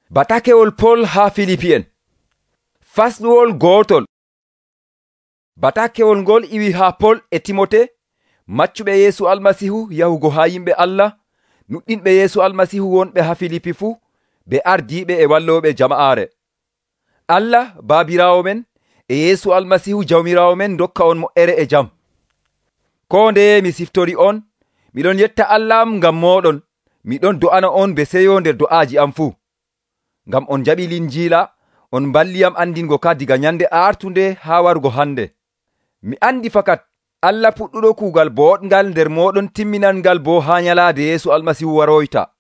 Batakewol Pol haa Filipi'en. Fasluwol gootol. Batakewol ngol iwi haa Pol e Timote, maccuɓe Yeesu Almasiihu yahugo haa yimɓe Allah, nuɗɗinɓe Yeesu Almasiihu wonɓe haa Filipi fuu, ɓe ardiiɓe e wallooɓe jama'aare. Allah Baabiraawo men e Yeesu Almasiihu Jawmiraawo men dokka on moƴƴere e jam. Koo ndeye mi siftori on, miɗon yetta Allah am ngam mooɗon, miɗon do'ana on be seyo nder do'aaji am fuu. Ngam on jaɓi Linjiila, on mballiyam andingo ka diga nyande artunde haa warugo hande. Mi andi fakat Allah puɗɗuɗo kuugal boɗngal nder mooɗon timminangal bo haa nyalaade Yeesu Almasiihu waroyta.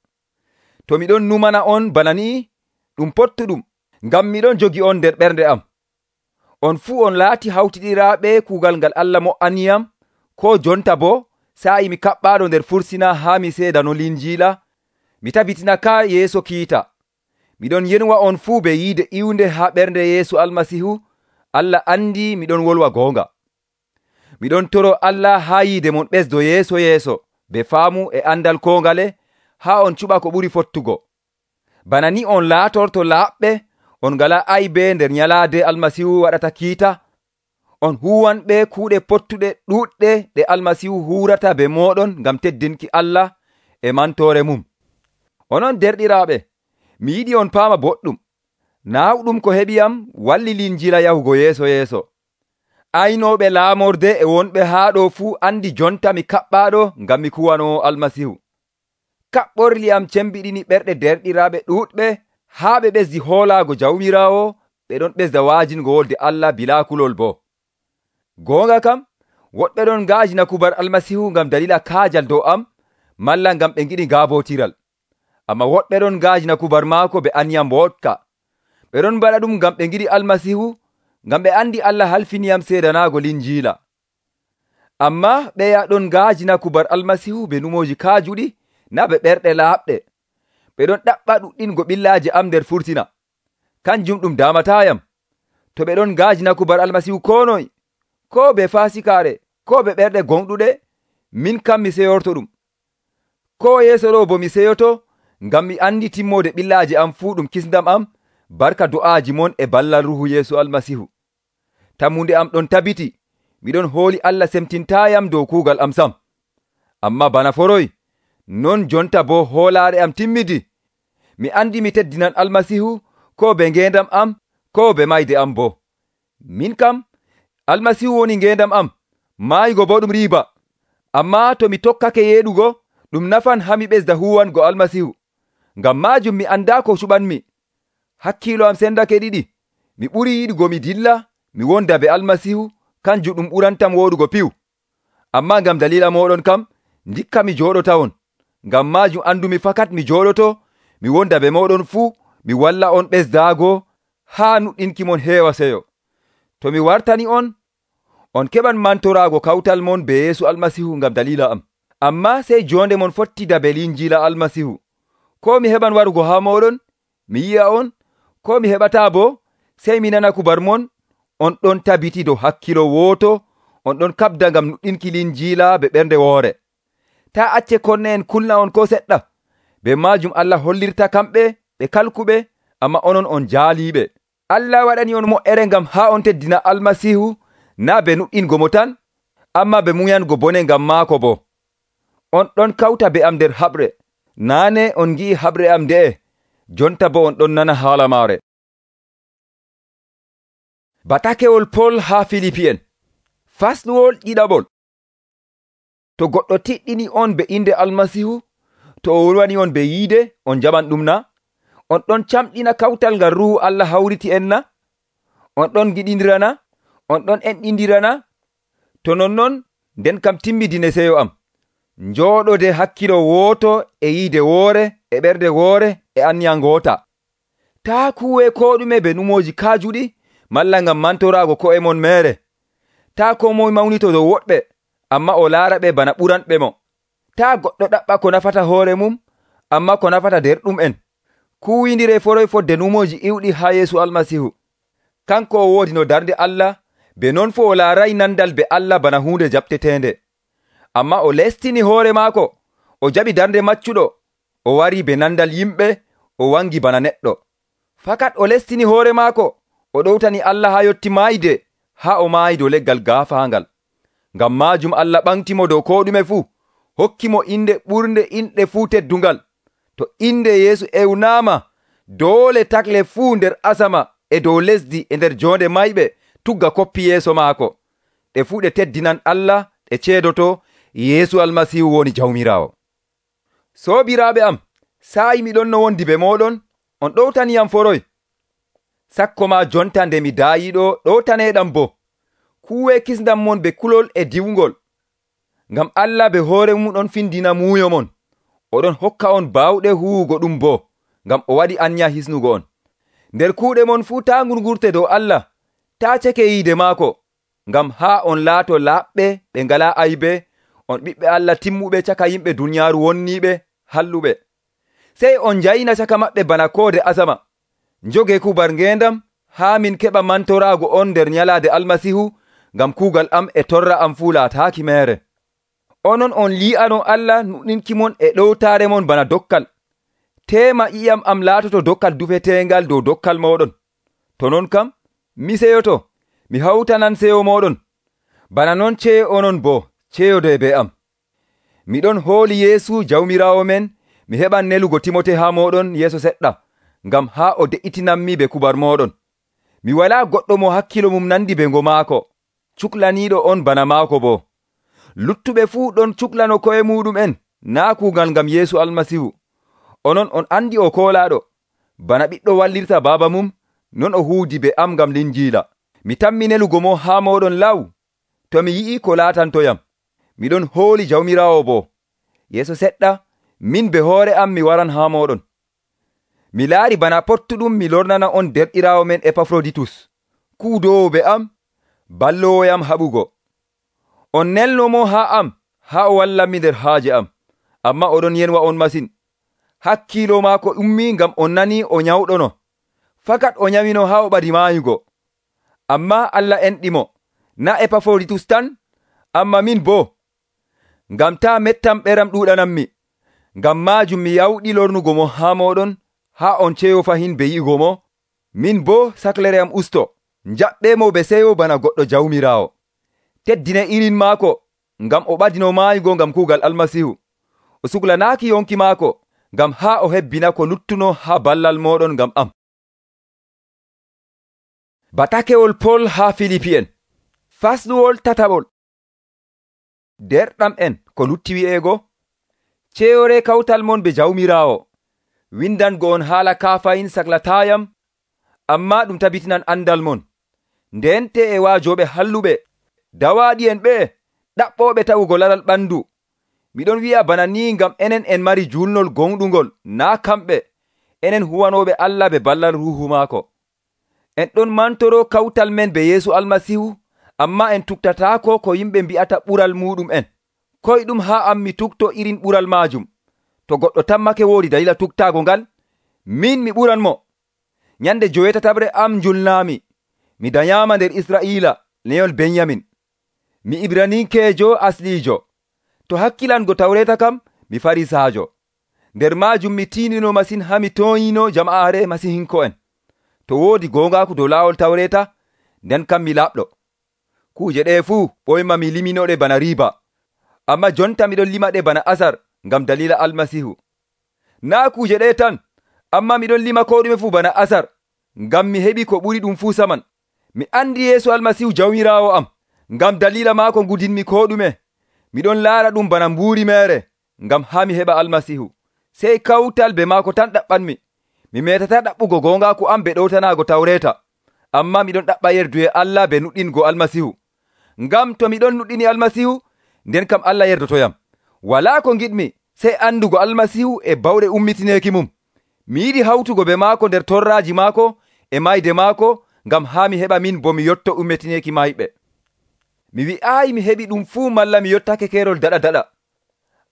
To miɗon numana on bana ni, ɗum pottuɗum, ngam miɗon jogi on nder ɓernde am. On fuu on laati hawtiɗiraaɓe kuugal ngal Allah mo''aniyam, ko jonta bo sa'i mi kaɓɓaaɗo nder fursina haa mi seedano Linjiila, mi tabitina ka yeeso kiita. Miɗon yenwa on fuu be yiide iwnde haa ɓernde Yeesu Almasiihu. Allah andi miɗon wolwa goonga. Miɗon toro Allah haa yiide mon ɓesdo yeeso yeeso be faamu e andal ko ngale, haa on cuɓa ko ɓuri fottugo. Bana ni on laatorto laaɓɓe, on ngala aybe nder nyalaade Almasiihu waɗata kiita. On huwanɓe kuuɗe pottuɗe ɗuuɗɗe ɗe Almasiihu huurata be mooɗon ngam teddinki Allah e mantoore mum. Onon derɗiraaɓe, mi yiɗi on paama boɗɗum. Naawɗum ko heɓiyam walli Linjiila yahugo yeeso yeeso. Aynooɓe laamorde e wonɓe haa ɗo fuu andi jonta mi kaɓɓaaɗo ngam mi kuwanoo Almasiihu. Kaɓɓorli am cembiɗini ɓerɗe derɗiraaɓe ɗuuɗɓe haa ɓe ɓesdi hoolaago Jawmiraawo, ɓe ɗon ɓesda waajingo wolde Allah bilaa kulol bo. Goonga kam, woɗɓe ɗon ngaajina kubar Almasiihu ngam dalila kaajal dow am, malla ngam ɓe ngiɗi ngaabotiral. Amma woɗɓe ɗon ngaajina kubar maako be aniyam mboɗka. Ɓe ɗon mbaɗa ɗum ngam ɓe ngiɗi Almasiihu, ngam ɓe andi Allah halfiniyam seedanaago Linjiila. Amma ɓeya ɗon ngaajina kubar Almasiihu be numooji kaajuɗi, na be ɓerɗe laaɓɗe. Ɓe ɗon ɗaɓɓa ɗuɗɗingo ɓillaaje am nder furtina. Kanjum ɗum damatayam. To ɓe ɗon ngaajina kubar Almasiihu ko noy, ko be faasikaare, ko be ɓerɗe gonɗuɗe, min kam mi seyorto ɗum. Ko yeeso ɗo bo mi seyoto, ngam mi andi timmode ɓillaaje am fuu ɗum kisndam am, barka do'aaji mon e ballal Ruuhu Yeesu Almasiihu. Tammunde am ɗon tabiti, miɗon hooli Allah semtintayam dow kuugal am sam. Amma bana foroy, non jonta bo hoolaare am timmidi. Mi andi mi teddinan Almasiihu, ko be ngendam am, ko be mayde am bo. Min kam, Almasiihu woni ngendam am, maayugo bo ɗum riiba. Amma to mi tokkake yeeɗugo, ɗum nafan haa mi ɓesda huwango Almasiihu. Ngam maajum mi anda ko cuɓanmi. Hakkiilo am sendake ɗiɗi. Mi ɓuri yiɗugo mi dilla, mi wonda be Almasiihu, kanjum ɗum ɓurantam woɗugo piw. Amma ngam dalila moɗon kam, ndikka mi jooɗotawon. Ngam maajum andumi fakat mi jooɗoto, mi wonda be moɗon fuu, mi walla on ɓesdaago, haa nuɗɗinki mon heewa seyo. To mi wartani on keɓan mantoraago kawtal mon be Yeesu Almasiihu ngam dalila am. Amma sey jonde mon fottida be Linjiila Almasiihu. Ko mi heɓan warugo haa moɗon, mi yi'a on, ko mi heɓata bo, sey mi nana kubar mon, on ɗon tabiti dow hakkilo wooto, on ɗon kabda ngam nuɗɗinki Linjiila be ɓernde woore. Ta acce konne en kulna on ko seɗɗa. Be maajum Allah hollirta kamɓe ɓe kalkuɓe, amma onon on jaaliɓe. Allah waɗani on moƴƴere ngam haa on teddina Almasiihu, na be nuɗɗingo mo tan, amma be muyango bone ngam maako bo. On ɗon kawta be am nder haɓre. Naane on ngi'i haɓre am nde'e, jonta bo on ɗon nana haala maare. Batakewol Pol haa Filipi'en. Fasluwol ɗiɗaɓol. To goɗɗo tiɗɗini on be inde Almasiihu, to o wolwani on be yiide, on jaɓan ɗum na? On ɗon camɗina kawtal ngal Ruuhu Allah hawriti en na? On ɗon giɗindirana? On ɗon enɗindirana? To nonnon, nden kam timmidine seyo am. Njooɗode hakkilo wooto e yiide woore e ɓerde woore e anniya ngoota. Taa kuwe ko ɗume be numooji kaajuɗi, malla ngam mantoraago ko'e mon meere. Taa ko moy mawnito dow woɗɓe, amma o laara ɓe bana ɓuranɓe mo. Taa goɗɗo ɗaɓɓa ko nafata hoore mum, amma ko nafata derɗum en. Kuwindire foroy fodde numooji iwɗi haa Yeesu Almasiihu. Kanko o woodi no darnde Allah, be non fo o laaray nandal be Allah bana hunde jaɓtetende. Amma o lestini hoore maako, o jaɓi darnde maccuɗo, o wari be nandal yimɓe, o wangi bana neɗɗo. Fakat o lestini hoore maako, o ɗowtani Allah haa yotti maayde, haa o maayi dow leggal gaafaangal. Ngam maajum Allah ɓamtimo dow koo ɗume fuu, hokki mo inde ɓurnde inɗe fuu teddungal. To inde Yeesu ewnaama, doole takle fuu nder asama e dow lesdi e nder joonde mayɓe tugga koppi yeeso maako. Ɗe fuu ɗe teddinan Allah, ɗe ceedoto Yeesu Almasiihu woni Jawmiraawo. Soobiraaɓe am, saayi miɗon no wondi be mooɗon, on ɗowtaniyam foroy. Sakko ma jonta nde mi daayiɗo ɗowtaneeɗam boo. Kuwee kisndam mon be kulol e diwngol. Ngam Allah be hoore mum ɗon findina muuyo mon. Oɗon hokka on baawɗe huwugo ɗum boo, ngam o waɗi anya hisnugo on. Nder kuuɗe mon fuu taa ngurngurte dow Allah, taa ceke yiide maako, ngam haa on laato laaɓɓe ɓe ngalaa aybe, on ɓiɓɓe Allah timmuɓe caka yimɓe duniyaaru wonniiɓe halluɓe. Sey on njayina caka maɓɓe bana koode asama. Njogee kubar ngeendam haa min keɓa mantoraago on nder nyalaade Almasiihu, ngam kuugal am e torra am fuu laataaki meere. Onon on li'ano Allah nuɗinki mon e ɗowtaare mon bana dokkal. Teema ƴi'am am laatoto dokkal dufeteengal dow dokkal mooɗon. To non kam, mi seyoto, mi hawtanan seyo mooɗon. Bana non ceyo onon boo, ceyode be am. Miɗon hooli Yeesu Jawmiraawo men, mi heɓan nelugo Timote haa mooɗon yeeso seɗɗa, ngam haa o de'itinanmi be kubar mooɗon. Mi walaa goɗɗo mo hakkilo mum nandi be ngo maako, cuklaniiɗo on bana maako boo. Luttuɓe fuu ɗon cuklano ko'e muɗum'en, naa kuugal ngam Yeesu Almasiihu. Onon on andi o koolaaɗo, bana ɓiɗɗo wallirta baaba mum, non o huudi be am ngam linjiila. Mi tammi nelugo mo haa mooɗon law, to mi yi'i ko laatantoyam. Miɗon hooli Jawmiraawo boo. Yeeso seɗɗa, min be hoore am mi waran haa mooɗon. Mi laari bana pottuɗum mi lornana on derɗiraawo men Epafroditus, kuudowo be am, ballowoyam haɓugo. On nelno mo haa am, haa o wallanmi nder haaje am, amma oɗon yenwa on masin. Hakkiilo maako ummi ngam on nani o nyawɗono. Fakat o nyawino haa o ɓadi maayugo. Amma Allah enɗimo, na Epafroditus tan, amma min boo. Ngam taa mettam ɓeram ɗuuɗanammi. Ngam maajum mi yawɗi lornugo mo haa mooɗon, haa on ceyo fahin be yi'ugo mo. Min boo saklere am usto, njaɓɓe mo be seyo bana goɗɗo Jawmiraawo. Teddine irin maako, ngam o ɓadino maayugo ngam kuugal Almasiihu. O suklanaaki yonki maako, ngam haa o hebbina ko luttuno haa ballal mooɗon ngam am. Batakewol Pol haa Filipi'en. Fasluwol tataɓol. Derɗam en ko lutti wi'eego, ceyore kawtal mon be Jawmiraawo. Windango on haala kaafayin saklataayam, amma ɗum tabitinan andal mon. Ndente e waajoɓe halluɓe, dawaaɗi en ɓe, ɗaɓɓooɓe tawugo laral ɓandu. Miɗon wi'a bana ni ngam enen en mari julnol gonɗungol, naa kamɓe, enen huwanooɓe Allah be ballal ruuhu maako. En ɗon mantoro kawtal men be Yeesu Almasiihu, amma en tuktataako ko yimɓe mbi'ata ɓural muɗum en. Koyɗum haa am mi tukto irin ɓural maajum. To goɗɗo tammake woodi dalila tuktaago ngal, min mi ɓuran mo. Nyande 7 am julnaami, mi dayaama nder Israa'iila, leyol Benyamin. Mi Ibraninkeejo asliijo. To hakkilango Tawreeta kam, mi Farisaajo. Nder maajum mi tiinino masin haa mi tooyino jama'aare Masihinko'en. To woodi goongaaku dow laawol Tawreeta, nden kam mi laaɓɗo. Kuuje ɗe fuu ɓoyma mi liminoɗe bana riiba. Amma jonta miɗon lima ɗe bana asar ngam dalila Almasiihu. Naa kuuje ɗe tan, amma miɗon lima ko ɗume fuu bana asar, ngam mi heɓi ko ɓuri ɗum fuu saman. Mi andi Yeesu Almasiihu Jawmiraawo am, ngam dalila maako ngudinmi ko ɗume. Miɗon laara ɗum bana mbuuri meere, ngam haa mi heɓa Almasiihu. Sey kawtal be maako tan ɗaɓɓanmi. Mi metata ɗaɓɓugo goongaaku am be ɗowtanaago Tawreeta, amma miɗon ɗaɓɓa yerduye Allah be nuɗɗingo Almasiihu. Ngam to miɗon nuɗɗini Almasiihu, nden kam Allah yerdotoyam. Walaa ko giɗmi sey andugo Almasiihu e bawɗe ummitineeki mum. Mi yiɗi hawtugo be maako nder torraaji maako e mayde maako, ngam haa mi heɓa min bo mi yotto ummitineeki mayɓe. Mi wi'aayi mi heɓi ɗum fuu malla mi yottake keerol daɗa.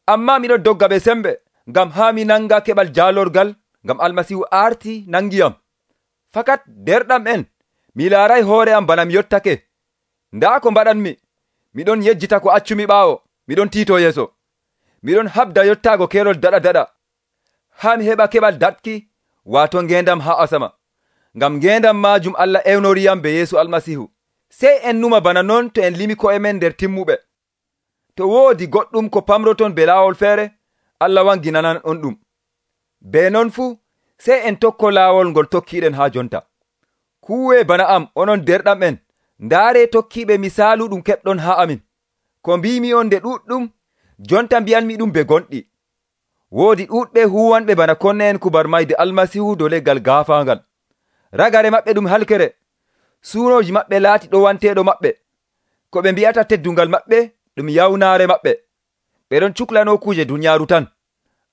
Amma miɗon dogga be sembe, ngam haa mi nanga keɓal jaalorgal, ngam Almasiihu aarti nangiyam. Fakat derɗam en, mi laaray hoore am bana mi yottake. Ndaa ko mbaɗanmi, miɗon yejjita ko accumi ɓaawo, miɗon tiito yeeso. Miɗon habda yottaago keerol daɗa, haa mi heɓa keɓal datki, waato ngeendam haa asama. ngam ngendam maajum Allah ewnoriyam be Yeesu Almasihu. Sey en numa bana non to en limi ko'e men nder timmuɓe. To woodi goɗɗum ko pamroton be laawol feere, Allah wanginanan on ɗum. Be non fuu, sey en tokko laawol ngol tokkiiɗen haa jonta. Kuwee bana am, onon derɗam en, ndaare tokkiiɓe misaalu ɗum keɓɗon haa amin. Ko mbimi on nde ɗuɗɗum, jonta mbiyanmi ɗum be gonɗi. Woodi ɗuɗɓe huwanɓe bana konne en kubar mayde Almasihu dow leggal gaafaangal. Ragare maɓɓe ɗum halkere. Suunoji maɓɓe laati ɗowanteeɗo maɓɓe. Ko ɓe mbi'ata teddungal maɓɓe ɗum yawnaare maɓɓe. Ɓe ɗon cuklano kuje dunyaaru tan.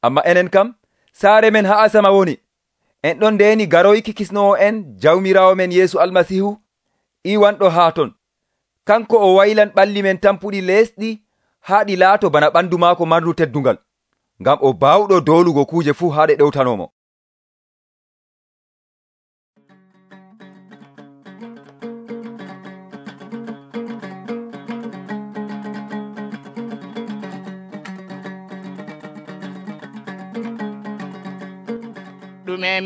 Amma enen kam, saare men haa asama woni. En ɗon ndeeni garoyki kisnowo en jawmiraawo men Yeesu Almasihu iwanɗo haa ton. Kanko o waylan ɓalli men tampuɗi leesɗi haa ɗi laato bana ɓandu maako marndu teddungal, ngam o baawɗo doolugo kuje fuu haa ɗe ɗewtanomo. Ɗume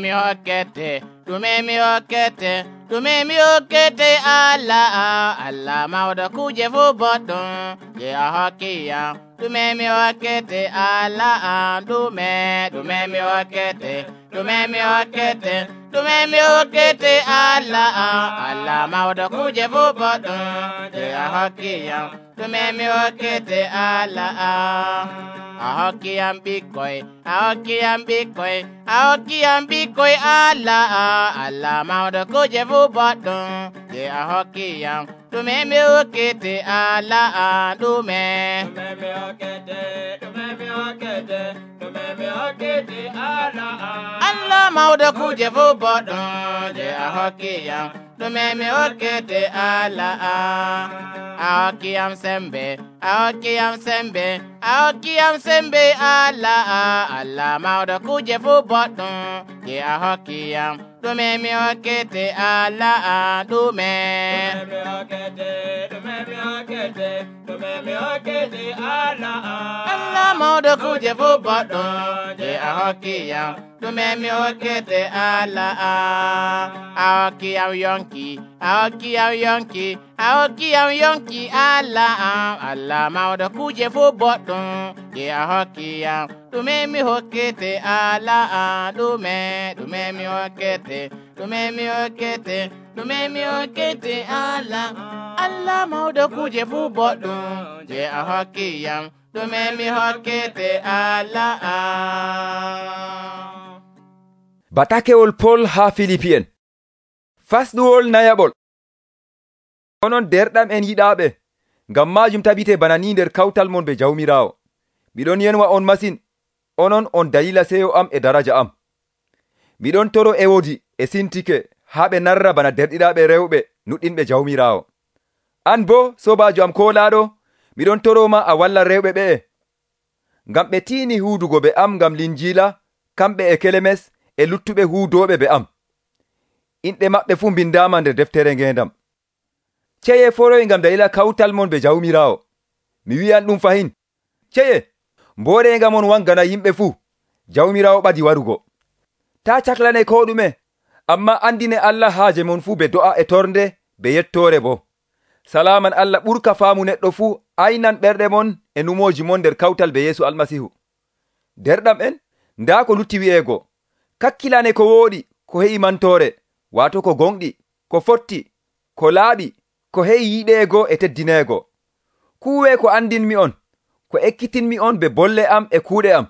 mi hokkete Allah, Allah mawɗo kuje fuu boɗɗum je a hokkiyam. Ɗume mi hokkete Allah, ɗume mi hokkete Allah, Allah mawɗo kuje fuu boɗɗum je a hokkiyam. Ɗume mi hokkete Allah, a hokkiyam ɓikkoy Allah, Allah mawɗo kuje fuu boɗɗum je a hokkiyam. Ɗume mi hokkete Allah, ɗume mi hokkete Allah, Allah mawɗo kuje fuu boɗɗum je a hokkiyam. Ɗume mi hokkete Allah, a hokkiyam sembe Allah, Allah mawɗo kuje fuu boɗɗum je a hokkiyam. Ɗume mi hokkete Allah, ɗume mi hokkete Allah, Allah mawɗo kuje fuu boɗɗum je a hokkiyam. Ɗume mi hokkete Allah, a hokkiyam yonki Allah, Allah mawɗo kuje fuu boɗɗum je a hokkiyam. Ɗume mi hokkete Allah, ɗume mi hokkete Allah, Allah mawɗo kuje fuu boɗɗum je a hokkiyam. Ɗume mi hokkete Allah. Batakewol Pol haa Filipi'en. Fasɗuwol nayaɓol. Onon derɗam en yiɗaaɓe, ngam maajum tabite bana ni nder kawtal mon be jawmiraawo. Miɗon yenwa on masin, onon on dalila seyo am e daraja am. Miɗon toro Ewodi e Sintike haa ɓe narra bana derɗiraaɓe rewɓe nuɗɗinɓe jawmiraawo. An bo, sobaajo am koolaaɗo, miɗon toroma a walla rewɓe ɓe'e, ngam ɓe tiini huudugo be am ngam linjiila, kamɓe e Kelemes e luttuɓe huudooɓe be am. Inɗe maɓɓe fuu mbindaama nder deftere ngendam. Ceye foroy ngam dalila kawtal mon be jawmiraawo. Mi wi'an ɗum fahin. Ceye, mbooreenga mon wangana yimɓe fuu, jawmiraawo ɓadi warugo. Ta caklane ko ɗume, amma andine Allah haaje mon fuu be do'a e tornde be yettoore bo. Salaman Allah ɓurka faamu neɗɗo fuu aynan ɓerɗe mon e numooji mon nder kawtal be Yeesu Almasihu. Derɗam en, ndaa ko lutti wi'eego. Kakkilane ko wooɗi, ko he'i mantoore, waato ko gonɗi, ko fotti, ko laaɓi, ko he'i yiɗeego e teddineego. Kuwee ko andinmi on, ko ekkitinmi on be bolle am e kuuɗe am.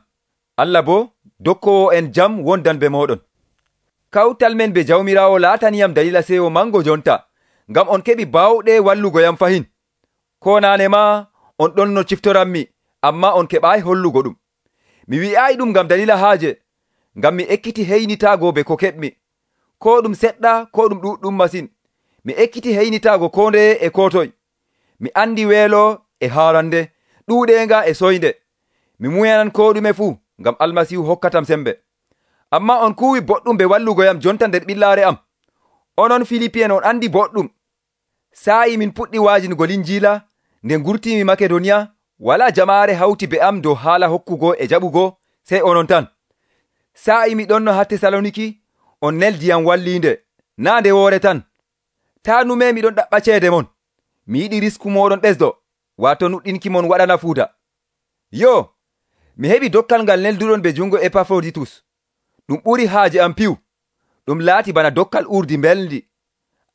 Allah bo dokkowo en jam wondan be moɗon. Kawtal men be jawmiraawo laataniyam dalila seyo mango jonta, ngam on keɓi baawɗe wallugo yam fahin. Ko naane ma on ɗon no ciftoranmi, amma on keɓaayi hollugo ɗum. Mi wi'aayi ɗum ngam dalila haaje, ngam mi ekkiti heynitaago be ko keɓmi. Ko ɗum seɗɗa, ko ɗum ɗuɗɗum masin. Mi ekkiti heynitaago ko ndeye e ko toy. Mi andi weelo e haarande, ɗuuɗeenga e soynde. Mi muyanan ko ɗume fuu, ngam Almasihu hokkatam sembe. Amma on kuwi boɗɗum be wallugoyam jonta nder ɓillaare am. Onon Filipi'en on andi boɗɗum. Saayi min puɗɗi waajingo linjiila, nde ngurtimi Makedoniya, wala jamaare hawti be am dow haala hokkugo e jaɓugo, sey onon tan. Saayi mi ɗonno haa Tesaloniki, on neldiyam walliinde. Naa nde woore tan, taa nume miɗon ɗaɓɓa ceede mon, mi yiɗi risku mooɗon ɓesdo, waato nuɗɗinki mon waɗa nafuuda. Yoo, mi heɓi dokkal ngal nelduɗon be jungo Epafroditus, ɗum ɓuri haaje am piwu, ɗum laati bana dokkal urdi mbelndi,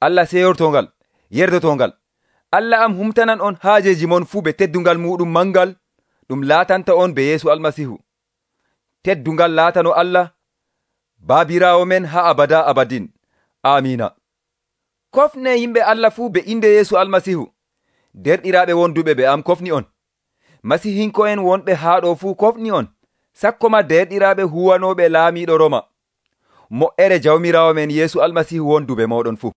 Allah seyortongal, yerdotongal. Allah am humtanan on haajeji mon fuu be teddungal muɗum mangal, ɗum laatanta on be Yeesu Almasihu. Teddungal laatano Allah, baabiraawo men haa abada abadin. Amiina. Kofne yimɓe Allah fuu be inde Yeesu Almasihu. Derɗiraaɓe wonduɓe be am kofni on. Masihinko'en wonɓe haa ɗo fuu kofni on. Sakkoma derɗiraaɓe huwanooɓe laamiiɗo Roma. Mo'ere Jawmiraawo men Yeesu Almasihu wondu be mooɗon fuu.